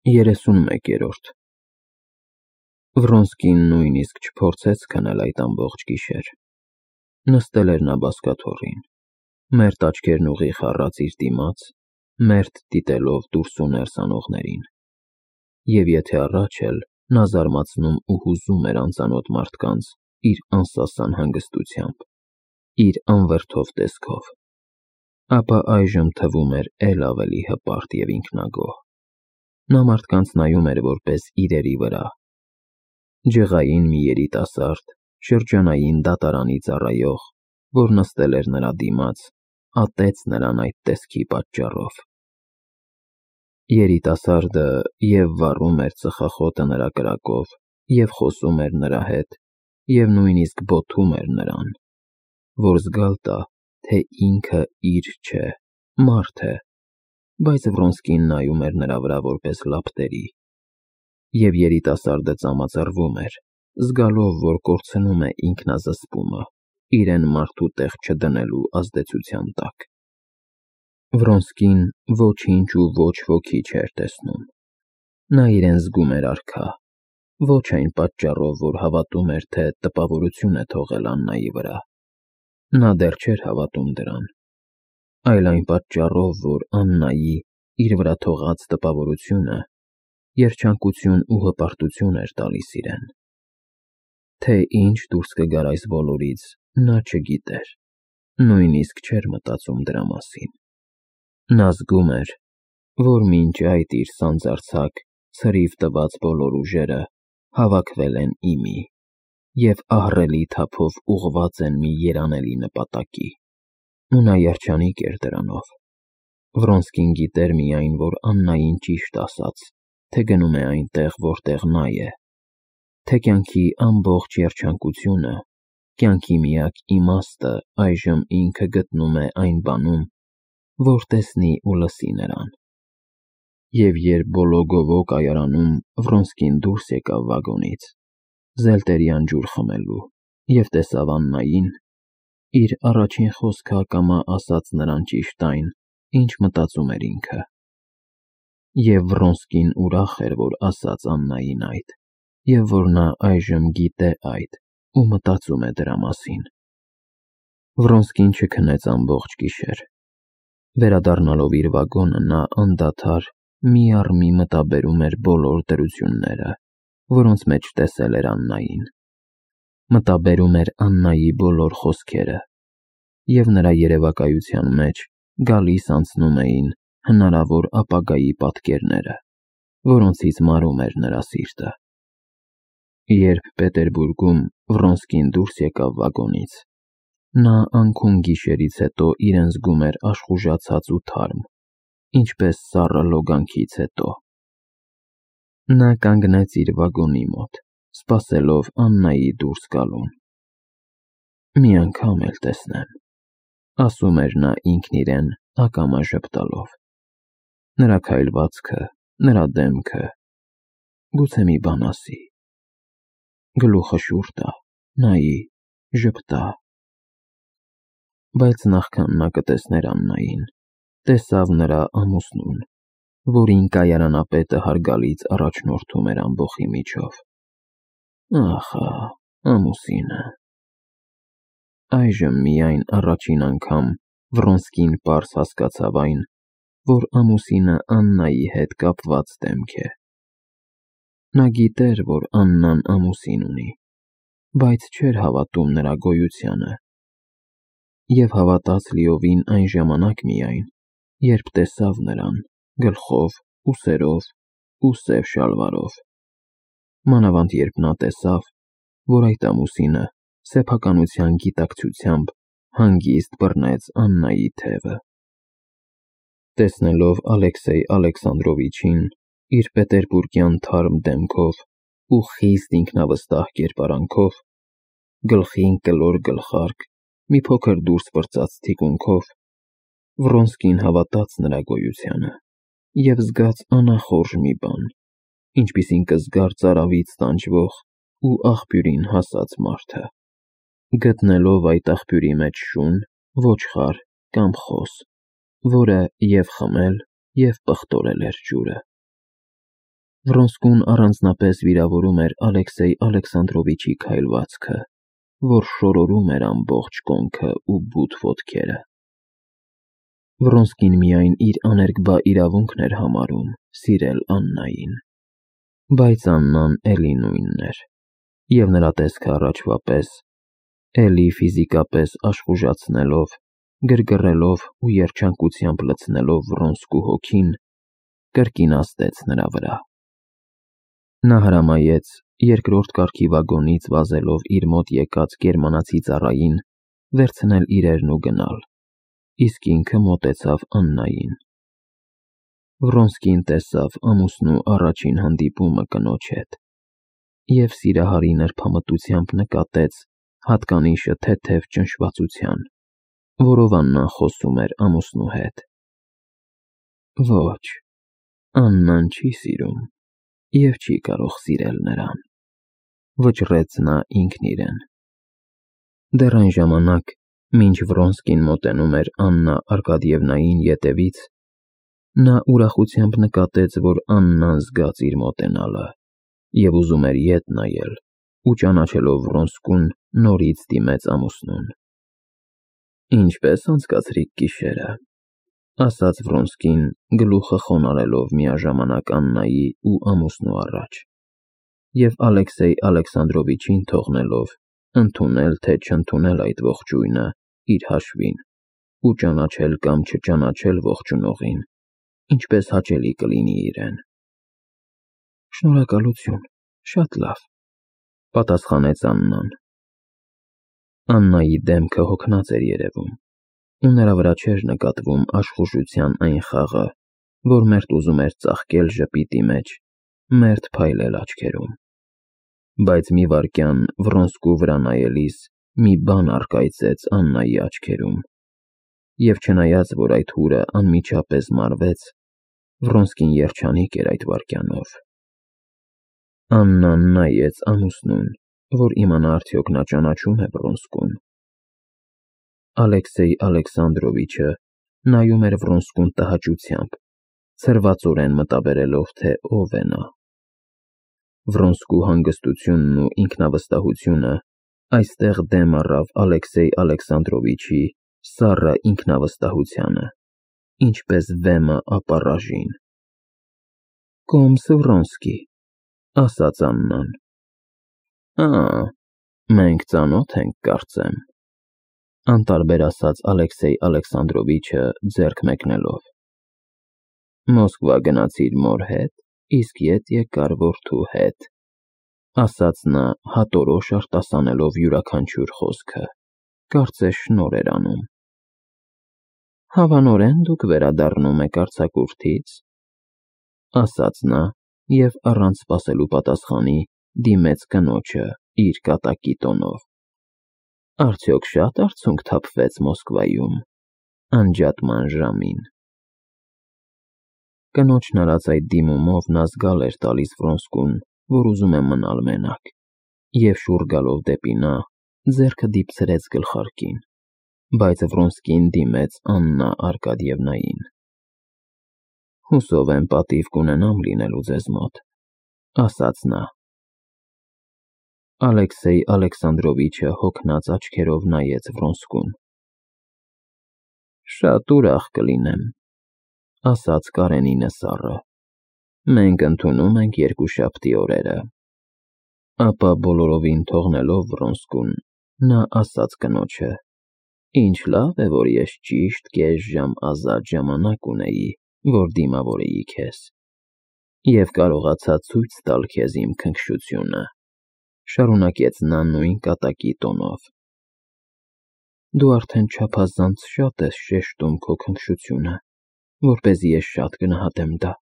31-րդ Վրոնսկին նույնիսկ չփորձեց քնել այդ ամբողջ գիշեր։ Նստել էր նա բազկաթոռին, մերթ աչքերն ուղիղ առած իր դիմաց, մերթ դիտելով դուրս ու ներս անողներին։ Եվ եթե առաջ էլ նա զարմացնում ու հուզում էր անծանոթ մարդկանց իր անսասան հանգստությամբ, իր անվրդով տեսքով, ապա այժմ թվում էր էլ ավելի հպարտ և ինքնագոհ։ Նա մարդկանց նայում էր որպես իրերի վրա։ Ջղային մի երիտասարդ, շրջանային դատարանի ծառայող, որ նստել էր նրա դիմաց, ատեց նրան այդ տեսքի պատճառով։ Երիտասարդը և վառում էր ծխախոտը նրա կրակով, և խոսում էր նրա հետ, և նույնիսկ բոթում էր նրան, որ զգալ տա, թե ինքը իր չէ, մարդ է, բայց Վրոնսկին նայում էր նրա վրա որպես լապտերի։ Եվ երիտասարդը ծամածռվում էր, զգալով, որ կորցնում է ինքնազսպումը, իրեն մարդու տեղ չդնելու ազդեցության տակ։ Վրոնսկին ոչինչ ու ոչ ոքի չէր տեսնում։ Նա իրեն զգում էր արքա, ոչ այն պատճառով, որ հավատում էր, թե տպավորություն է թողել Աննայի վրա։ Նա դեռ չէր հավատում դրան, այլ այն պատճառով, որ Աննայի իր վրա թողած տպավորությունը երջանկություն ու հպարտություն էր տալիս իրեն։ Թե ինչ դուրս կգար այս բոլորից, նա չգիտեր, նույնիսկ չէր մտածում դրա մասին։ Նա զգում էր, որ մինչ այդ իր սանձարձակ, ցրիվ տված բոլոր ուժերը հավաքվել են իմի և ահռելի թափով ուղղված են մի երանելի նպատակի, ու նա երջանիկ էր դրանով։ Վրոնսկին գիտեր միայն, որ Աննային ճիշտ ասաց, թե գնում է այնտեղ, որտեղ նա է, թե կյանքի ամբողջ երջանկությունը, կյանքի միակ իմաստը այժմ ինքը գտնում է այն բանում, որ տեսնի ու լսի նրան։ Եվ երբ Բոլոգովո կայարանում Վրոնսկին դուրս եկավ վագոնից, զելտերյան ջուր խմելու, և տեսավ Աննային, իր առաջին խոսքը ակամա ասաց նրան ճիշտ այն, ինչ մտածում էր ինքը։ Եվ Վրոնսկին ուրախ էր, որ ասաց Աննային այդ, և որ նա այժմ գիտե այդ ու մտածում է դրա մասին։ Վրոնսկին չքնեց ամբողջ գիշեր։ Վերադառնալով իր վագոնը, նա անդադար մի առ մի մտաբերում էր բոլոր դրությունները, որոնց մեջ տեսել էր Աննային։ Մտաբերում էր Աննայի բոլոր խոսքերը, և նրա երևակայության մեջ գալիս անցնում էին հնարավոր ապագայի պատկերները, որոնցից մարում էր նրա սիրտը։ Երբ Պետերբուրգում Վրոնսկին դուրս եկավ վագոնից, նա անքուն գիշերից հետո իրեն զգում էր աշխուժացած ու թարմ, ինչպես սառը լոգանքից հետո։ Նա կանգնեց իր վագոնի մոտ, սպասելով Աննայի դուրս գալուն։ «Մի անգամ էլ տեսնեմ», ասում էր նա ինքն իրեն ակամա ժպտալով։ Նրա քայլվածքը, նրա դեմքը, գուցե մի բան ասի, գլուխը շուռ տա, նայի, ժպտա։ Բայց նախքան նա կտեսներ Աննային, տեսավ նրա ամուսնուն, որին կայարանապետը հարգալից առաջնորդում էր ամբոխի միջով։ Ախա, ամուսինը։ Այժմ միայն առաջին անգամ Վրոնսկին պարզ հասկացավ այն, որ ամուսինը Աննայի հետ կապված դեմք է։ Նա գիտեր, որ Աննան ամուսին ունի, բայց չէր հավատում նրա գոյությանը։ Եվ հավատաց լիովին այն ժամանակ միայն, երբ տեսավ նրան գլխով, ուսերով ու սև շալվարով։ Մանավանդ երբ նա տեսավ, որ այդ ամուսինը սեփականության գիտակցությամբ հանգիստ բռնեց Աննայի թևը։ Տեսնելով Ալեքսեյ Ալեքսանդրովիչին իր պետերբուրգյան թարմ դեմքով ու խիստ ինքնավստահ կերպարանքով, գլխին կլոր գլխարկ, մի փոքր դուրս պրծած թիկունքով, Վրոնսկին հավատաց նրա գոյությանը և զգաց անախորժ մի բան, ինչպիսին կզգար ծարավից տանջվող ու աղբյուրին հասած մարդը, գտնելով այդ աղբյուրի մեջ շուն, ոչխար կամ խոս, որը և խմել, և պղտորել էր ջուրը։ Վրոնսկուն առանձնապես վիրավորում էր Ալեքսեյ Ալեքսանդրովիչի քայլվածքը, որ շորորում էր ամբողջ կոնքը ու բութ ոտքերը։ Վրոնսկին միայն իր աներկբա իրավունքն էր համարում սիրել Աննային, բայց Աննան էլի նույնն էր, և նրա տեսքը առաջվա պես, էլի ֆիզիկապես աշխուժացնելով, գրգռելով ու երջանկությամբ լցնելով Վրոնսկու հոգին, կրկին ազդեց նրա վրա։ Նա հրամայեց երկրորդ կարգի վագոնից վազելով իր մոտ եկած գերմանացի ծառային վերցնել իրերն ու գնալ, իսկ ինքը մոտեցավ Աննային։ Վրոնսկին տեսավ ամուսնու առաջին հանդիպումը կնոջ հետ և սիրահարի նրբամտությամբ նկատեց հատկանիշը թեթև ճնշվածության, որով Աննան խոսում էր ամուսնու հետ։ Ոչ, Աննան չի սիրում և չի կարող սիրել նրան, վճռեց նա ինքն իրեն։ Դեռ այն ժամանակ, մինչ Վրոնսկին մոտենում էր Աննա Արկադիևնային ետևից, նա ուրախությամբ նկատեց, որ Աննան զգաց իր մոտենալը և ուզում էր ետ նայել ու ճանաչելով Վրոնսկուն նորից դիմեց ամուսնուն։ Ինչպե՞ս անցկացրիք գիշերը, ասաց Վրոնսկին, գլուխը խոնարհելով միաժամանակ Աննայի ու ամուսնու առաջ, և Ալեքսեյ Ալեքսանդրովիչին թողնելով ընդունել թե չընդունել այդ ողջույնը իր հաշվին ու ճանաչել կամ չճանաչել ողջունողին, ինչպես հաճելի կլինի իրեն։ Շնորհակալություն, շատ լավ, պատասխանեց Աննան։ Աննայի դեմքը հոգնած էր երևում, ու նրա վրա չէր նկատվում աշխուժության այն խաղը, որ մերթ ուզում էր ծաղկել ժպիտի մեջ, մերթ փայլել աչքերում։ Բայց մի վայրկյան Վրոնսկու վրա նայելիս մի բան առկայծեց Աննայի աչքերում, և չնայած որ այդ հուրը անմիջապես մարվեց, Վրոնսկին երջանիկ էր այդ վայրկյանով։ Աննան նայեց ամուսնուն, որ իմանա արդյոք նա ճանաչում է Վրոնսկուն։ Ալեքսեյ Ալեքսանդրովիչը նայում էր Վրոնսկուն տհաճությամբ, ցրվածորեն մտաբերելով, թե ով է նա։ Վրոնսկու հանգստությունն ու ինքնավստահությունը այստեղ դեմ առավ Ալեքսեյ Ալեքսանդրովիչի սառը ինքնավստահությանը, ինչպես վեմը ապառաժին։ Կոմս Վրոնսկի, ասաց Աննան։ Մենք ծանոթ ենք, կարծեմ, անտարբեր ասաց Ալեքսեյ Ալեքսանդրովիչը ձեռք մեկնելով։ Մոսկվա գնացիր մոր հետ, իսկ ետ եկար որդու հետ, ասաց նա հատորոշ արտասանելով յուրաքանչյուր խոսքը, կարծես շնորհ էր անում։ Հավանորեն դուք վերադառնում եք արձակուրդից, ասաց նա և առանց սպասելու պատասխանի դիմեց կնոջը իր կատակի տոնով։ Արդյոք շատ արցունք թափվեց Մոսկվայում անջատման ժամին։ Կնոջն արած այդ դիմումով նա զգալ էր տալիս Վրոնսկուն, որ ուզում է մնալ մենակ, և շուռ գալով դեպի նա, ձեռքը դիպցրեց գլխարկին, բայց Վրոնսկին դիմեց Աննա Արկադիևնային։ Հուսով եմ պատիվ կունենամ լինելու ձեզ մոտ, ասաց նա։ Ալեքսեյ Ալեքսանդրովիչը հոգնած աչքերով նայեց Վրոնսկուն։ Շատ ուրախ կլինեմ, ասաց Կարենինը սառը։ Մենք ընդունում ենք երկուշաբթի օրերը։ Ապա բոլորովին թողնելով Վրոնսկուն, նա ասաց կնոջը. Ինչ լավ է, որ ես ճիշտ կես ժամ ազատ ժամանակ ունեի, որ դիմավորեի քեզ, և կարողացա ցույց տալ քեզ իմ քնքշությունը, շարունակեց նա նույն կատակի տոնով։ Դու արդեն չափազանց շատ ես շեշտում քո քնքշությունը, որպեսզի ես շատ գնահատեմ դա,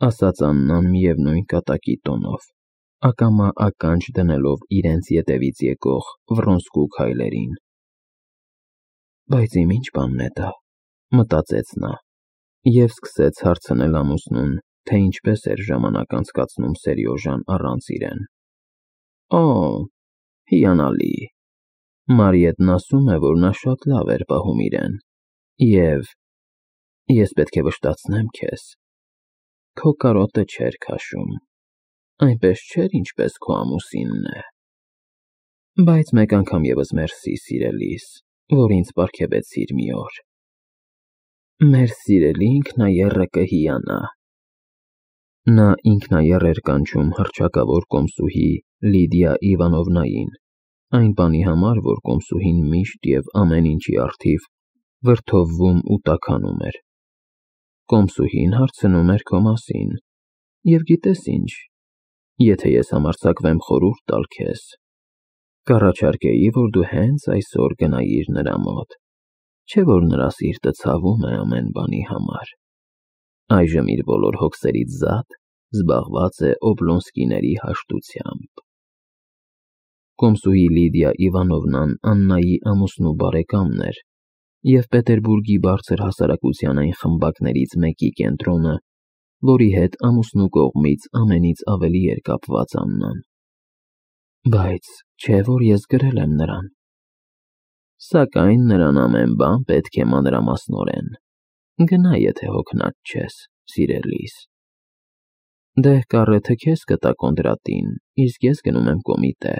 ասաց Աննան միևնույն կատակի տոնով, ակամա ականջ դնելով իրենց ետևից եկող Վրոնսկու քայլերին։ Բայց իմ ինչ բանն է դա, մտածեց նա, և սկսեց հարցնել ամուսնուն, թե ինչպես էր ժամանակ անցկացնում Սերյոժան առանց իրեն։ Հիանալի։ Մարիետն ասում է, որ նա շատ լավ էր պահում իրեն, և ես պետք է վշտացնեմ քեզ։ քո կարոտը չէր քաշում, այնպես չէր, ինչպես քո ամուսինն է։ Բայց մեկ անգամ ևս մերսի, սիրելիս, որ ինձ պարգևեցիր մի օր։ Մեր սիրելի ինքնաեռը կհիանա։ Նա ինքնաեռ էր կանչում հռչակավոր կոմսուհի Լիդիա Իվանովնային, այն բանի համար, որ կոմսուհին միշտ և ամեն ինչի առթիվ վրդովվում ու տաքանում էր։ Կոմսուհին հարցնում էր քո մասին, և գիտես ինչ, եթե ես համարձակվեմ խորհուրդ տալ քեզ, կառաջարկեի, որ դու հենց այսօր գնայիր նրա մոտ, չէ՞ որ նրա սիրտը ցավում է ամեն բանի համար։ Այժմ իր բոլոր հոգսերից զատ զբաղված է Օբլոնսկիների հաշտությամբ։ Կոմսուհի Լիդիա Իվանովնան Աննայի ամուսնու բարեկամն էր և Պետերբուրգի բարձր հասարակության այն խմբակներից մեկի կենտրոնը, որի հետ ամուսնու կողմից ամենից ավելի էր կապված Աննան։ Բայց չէ՞ որ ես գրել եմ նրան։ Սակայն նրան ամեն բան պետք է մանրամասնորեն։ Գնա, եթե հոգնած չես, սիրելիս։ Դե կառեթը քեզ կտա կոնտրատին, իսկ ես գնում եմ կոմիտե։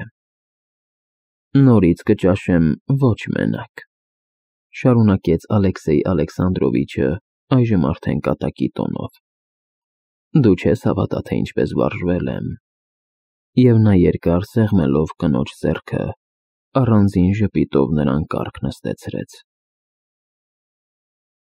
Նորից կճաշեմ ոչ մենակ, շարունակեց Ալեքսեյ Ալեքսանդրովիչը այժմ արդեն կատակի տոնով։ Դու չես հավատա, թե ինչպես վարժվել եմ։ Եվ նա երկար սեղմելով կնոջ ձեռքը, առանձին ժպիտով նրան կառք նստեցրեց։